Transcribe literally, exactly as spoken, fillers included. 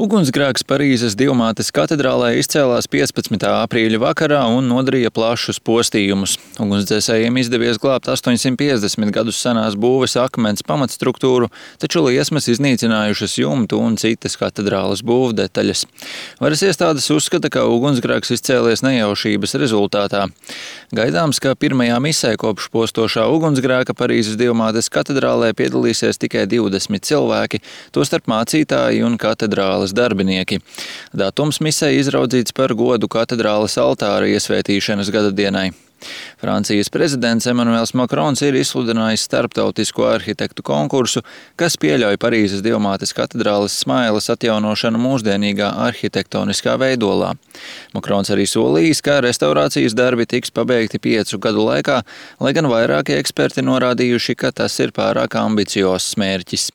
Ugunsgrēks Parīzes Dievmātes katedrālē izcēlās piecpadsmitā aprīļa vakarā un nodarīja plašus postījumus. Ugunsdzēsējiem izdevies glābt astoņsimt piecdesmit gadus senās būves akmens pamatstruktūru, taču liesmas iznīcinājušas jumtu un citas katedrāles būvdetaļas. Varas iestādes uzskata, ka ugunsgrēks izcēlies nejaušības rezultātā. Gaidāms, ka pirmajā misē kopš postošā ugunsgrēka Parīzes Dievmātes katedrālē piedalīsies tikai divdesmit cilvēki, tostarp mācītāji un katedrāles darbinieki. Datums misē izraudzīts par godu katedrāles altāra iesvētīšanas gadadienai. Francijas prezidents Emanuels Makrons ir izsludinājis starptautisko arhitektu konkursu, kas pieļauj Parīzes Dievmātes katedrāles smailes atjaunošanu mūsdienīgā arhitektoniskā veidolā. Makrons arī solījis, ka restaurācijas darbi tiks pabeigti piecu gadu laikā, lai gan vairāki eksperti norādījuši, ka tas ir pārāk ambiciozs mērķis.